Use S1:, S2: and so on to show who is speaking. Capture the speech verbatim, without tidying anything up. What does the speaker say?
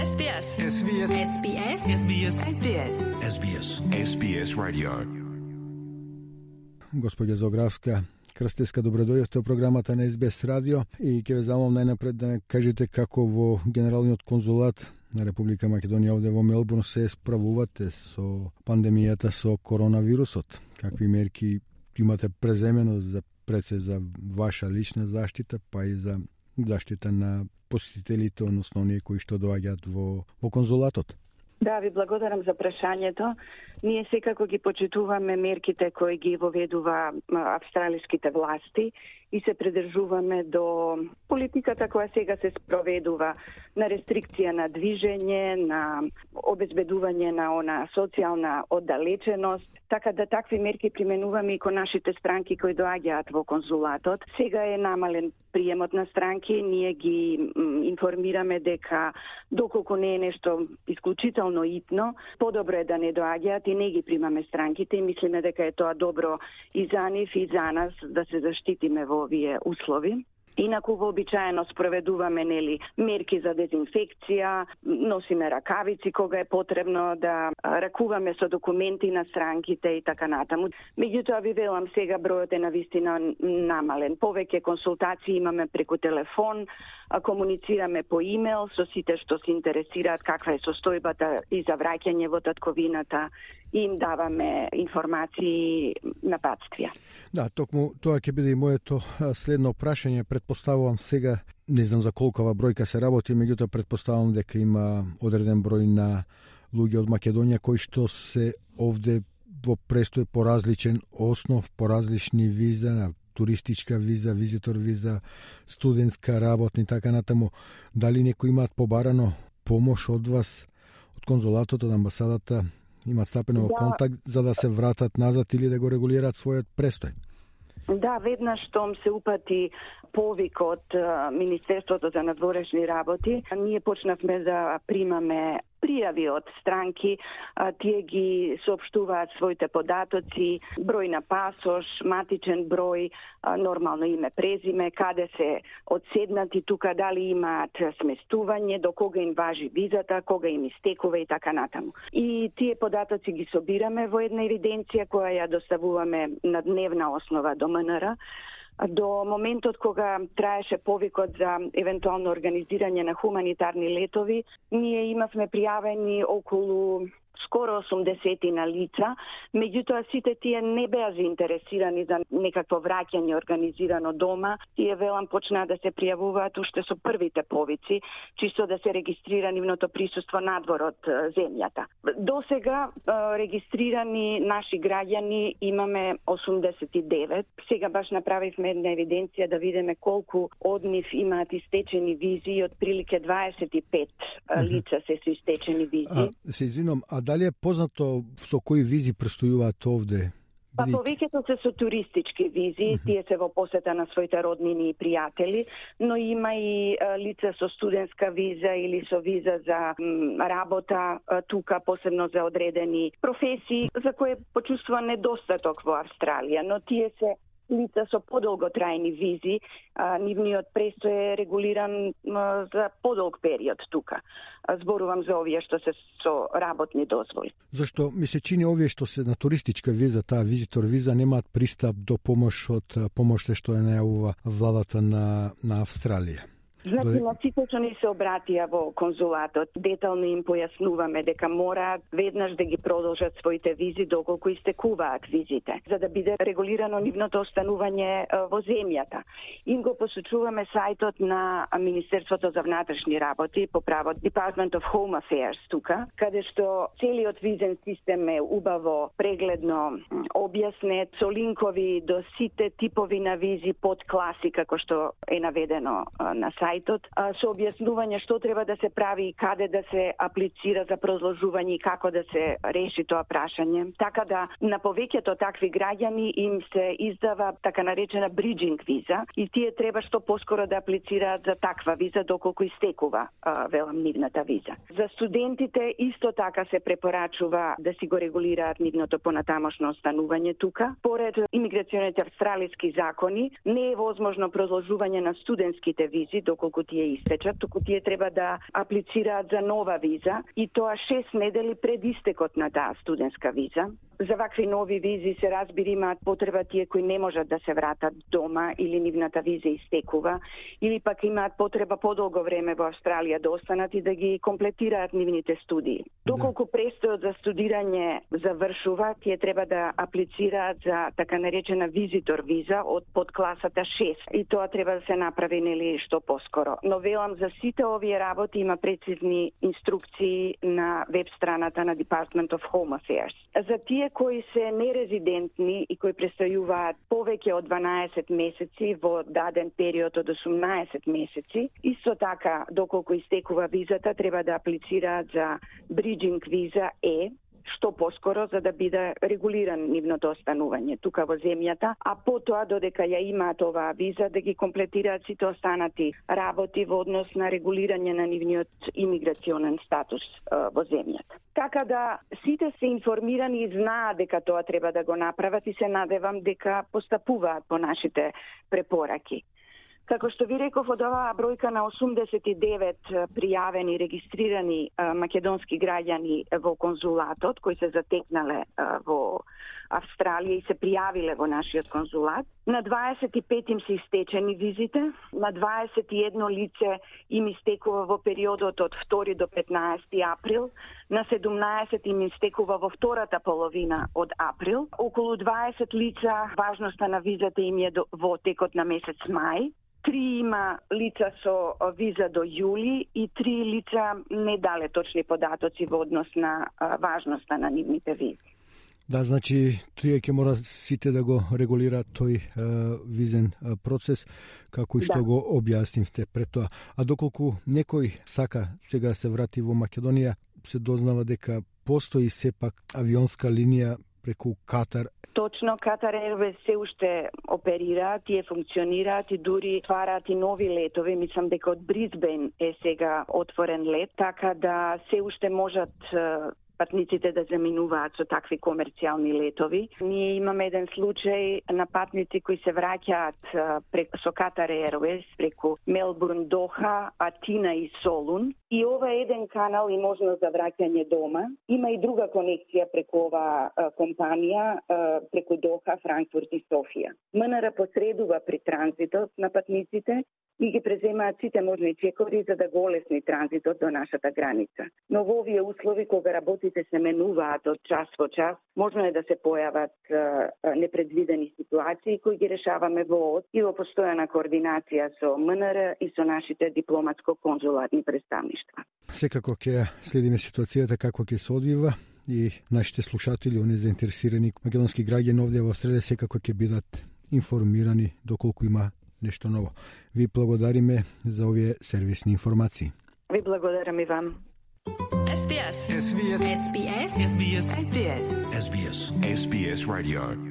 S1: Ес Би Ес.
S2: Ес Би Ес.
S1: Ес Би Ес. Ес Би Ес. Ес Би Ес.
S2: Ес Би Ес. Ес Би Ес Radio.
S3: Госпоѓа Зографска Крстевска, добродојдовте во програмата на Ес Би Ес Radio и ќе ве замолам најнапред да не кажете како во Генералниот конзулат на Република Македонија овде во Мелбурн се справувате со пандемијата со коронавирусот. Какви мерки имате преземено за пред се за ваша лична заштита, па и за заштита на посетителите, односно оние кои што доаѓаат во, во конзулатот?
S4: Да, ви благодарам за прашањето. Ние секако ги почитуваме мерките кои ги воведува австралиските власти и се придржуваме до политиката која сега се спроведува на рестрикција на движење, на обезбедување на она социјална оддалеченост, така да такви мерки применуваме и кон нашите странки кои доаѓаат во конзулатот. Сега е намален приемот на странки, ние ги информираме дека доколку не е нешто исклучително итно, подобро е да не доаѓаат и не ги примаме странките и мислиме дека е тоа добро и за нив и за нас да се заштитиме во овие услови. Инаку вообичаено спроведуваме нели мерки за дезинфекција, носиме ракавици кога е потребно, да ракуваме со документи на странките и така натаму. Меѓутоа ви велам сега бројот е навистина намален. Повеќе консултации имаме преку телефон, комуницираме по имейл со сите што се интересираат каква е состојбата и за враќање во татковината и им даваме информации на патствија.
S3: Да, токму тоа ќе биде и моето следно прашање. Предпоставувам сега, не знам за колкова бројка се работи, меѓутоа предпоставувам дека има одреден број на луѓе од Македонија кои што се овде во престој по различен основ, по различни виза, на туристичка виза, визитор виза, студентска, работна и така натаму. Дали некои имаат побарано помош од вас, од конзулатот, од амбасадата, имаат стапено во контакт за да се вратат назад или да го регулираат својот престој?
S4: Да, веднаш штом се упати повик од Министерството за надворешни работи, ние почнавме да примаме пријави од странки, тие ги соопштуваат своите податоци, број на пасош, матичен број, нормално име, презиме, каде се одседнати тука, дали имаат сместување, до кога им важи визата, кога им истекува и така натаму. И тие податоци ги собираме во една евиденција која ја доставуваме на дневна основа до М Н Р. До моментот кога траеше повикот за евентуално организирање на хуманитарни летови, ние имавме пријавени околу скоро осумдесетина лица, меѓутоа сите тие не беа заинтересирани за некакво враќање организирано дома. Тие велам почнаа да се пријавуваат уште со првите повици, чисто да се регистрира нивното присуство надвор од земјата. До сега регистрирани наши граѓани имаме осумдесет и девет. Сега баш направивме една евиденција да видиме колку од нив имаат истечени визи и отприлике дваесет и пет лица се со истечени визи.
S3: А, се извинам, а дали е познато со кои визи престојуваат овде?
S4: Па повеќето се со туристички визи, uh -huh. тие се во посета на своите роднини и пријатели, но има и а, лица со студентска виза или со виза за м, работа а, тука, посебно за одредени професии, за кои почувствува недостаток во Австралија, но тие се лица со подолготрајни визи, а, нивниот престој е регулиран а, за подолг период тука. А, зборувам за овие што се со работни дозволи.
S3: Зашто ми се чини овие што се на туристичка виза, таа визитор виза, немаат пристап до помош од помоште што ја најавува владата на, на Австралија?
S4: Значи, на сите што ни се обратија во конзулатот, детално им појаснуваме дека мораат веднаш да ги продолжат своите визи доколку истекуваат визите, за да биде регулирано нивното останување во земјата. Им го посочуваме сајтот на Министерството за внатрешни работи, по право Department of Home Affairs тука, каде што целиот визен систем е убаво, прегледно објаснет, со линкови до сите типови на визи под класи, како што е наведено на сајтот, со објаснување што треба да се прави и каде да се аплицира за продолжување и како да се реши тоа прашање. Така да на повеќето такви граѓани им се издава така наречена bridging виза и тие треба што поскоро да аплицираат за таква виза доколку истекува велам нивната виза. За студентите исто така се препорачува да си го регулираат нивното понатамошно останување тука. Поред имиграционите австралиски закони не е возможно продолжување на студентските визи доколку тие истечат, туку тие треба да аплицираат за нова виза и тоа шест недели пред истекот на таа студентска виза. За вакви нови визи се разбира имаат потреба тие кои не можат да се вратат дома или нивната виза истекува, или пак имаат потреба подолго време во Австралија да останат и да ги комплетираат нивните студии. Доколку да. престојот за студирање завршува, тие треба да аплицираат за така наречена визитор виза од подкласата шест и тоа треба да се направи нели што поскоро. Но велам за сите овие работи има прецизни инструкции на веб страната на Department of Home Affairs. За тие кои се нерезидентни и кои престојуваат повеќе од дванаесет месеци во даден период од осумнаесет месеци, исто така доколку истекува визата треба да аплицираат за Bridging виза Е, што поскоро за да биде регулиран нивното останување тука во земјата, а потоа додека ја имаат оваа виза да ги комплетираат сите останати работи во однос на регулирање на нивниот имиграционен статус uh, во земјата. Така да сите се информирани и знаат дека тоа треба да го направат и се надевам дека постапуваат по нашите препораки. Како што ви реков, од оваа бројка на осумдесет и девет пријавени, регистрирани а, македонски граѓани во конзулатот, кои се затекнале а, во Австралија и се пријавиле во нашиот конзулат, на дваесет и пет им се истечени визите, на дваесет и едно лице им истекува во периодот од втори до петнаесети април, на седумнаесет им истекува во втората половина од април, околу дваесет лица важноста на визата им е во текот на месец мај, три има лица со виза до јули и три лица не дале точни податоци во однос на а, важноста на нивните визи.
S3: Да, значи, тие ќе мора сите да го регулираат тој а, визен а, процес, како и што да. го објаснивте пред тоа. А доколку некој сака сега се врати во Македонија, се дознава дека постои сепак авионска линија преку Катар.
S4: Точно, Катар Airways се уште оперираат, тие функционираат и дури твараат и нови летови. Мислам дека од Брисбен е сега отворен лет, така да се уште можат патниците да заминуваат со такви комерцијални летови. Ние имаме еден случај на патници кои се враќаат преку со Катар Airways преку Мелбурн, Доха, Атина и Солун. И ова е еден канал и можност за враќање дома. Има и друга конекција преку оваа компанија преку Доха, Франкфурт и Софија. МНР посредува при транзитот на патниците и ги преземаат сите можни чекови за да го олесни транзитот до нашата граница. Но во овие услови кога работите се менуваат од час во час, можно е да се појават е, непредвидени ситуации кои ги решаваме во ОД и во постојана координација со МНР и со нашите дипломатско-конзуларни представништва.
S3: Секако ќе следиме ситуацијата како ќе се одвива и нашите слушатели, оние заинтересирани македонски граѓани овде во Австралија секако ќе бидат информирани доколку има нешто ново. Ви благодариме за овие сервисни информации.
S4: Ви благодарам и вам.
S1: S B S.
S2: S B S.
S1: S B S. S B S.
S2: S B S. S B S Radio.